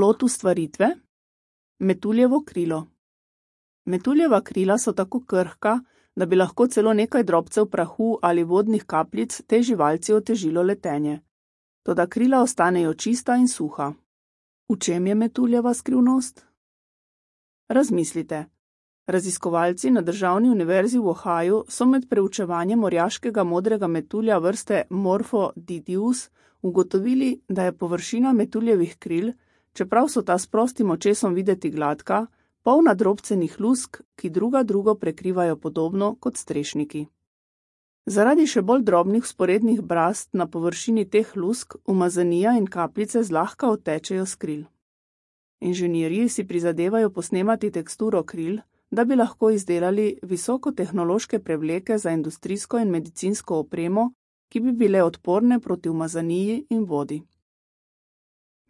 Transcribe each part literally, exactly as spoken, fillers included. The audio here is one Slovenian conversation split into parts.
Plod ustvaritve? Metuljevo krilo. Metuljeva krila so tako krhka, da bi lahko celo nekaj drobcev prahu ali vodnih kapljic tej živalci otežilo letenje. Toda krila ostanejo čista in suha. V čem je metuljeva skrivnost? Razmislite. Raziskovalci na Državni univerzi v Ohaju so med preučevanjem orjaškega modrega metulja vrste Morphodidius ugotovili, da je površina metuljevih kril, čeprav so ta s prostim očesom videti gladka, polna drobcenih lusk, ki druga drugo prekrivajo podobno kot strešniki. Zaradi še bolj drobnih vzporednih brazd na površini teh lusk umazanija in kapljice zlahka odtečejo s kril. Inženirji si prizadevajo posnemati teksturo kril, da bi lahko izdelali visokotehnološke prevleke za industrijsko in medicinsko opremo, ki bi bile odporne proti umazaniji in vodi.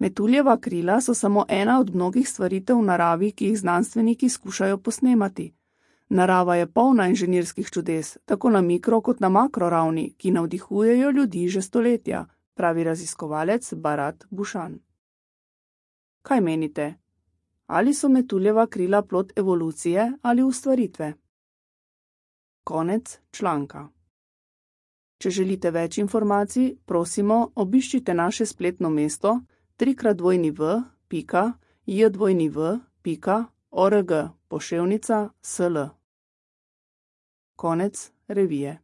Metuljeva krila so samo ena od mnogih stvaritev v naravi, ki jih znanstveniki skušajo posnemati. Narava je polna inženirskih čudes, tako na mikro kot na makro ravni, ki navdihujejo ljudi že stoletja, pravi raziskovalec Bharat Bhushan. Kaj menite? Ali so metuljeva krila plod evolucije ali ustvaritve? Konec članka. Če želite več informacij, prosimo, obiščite naše spletno mesto trikrat dvojni v pika j dvojni v pika org poševnica sl. Konec revije.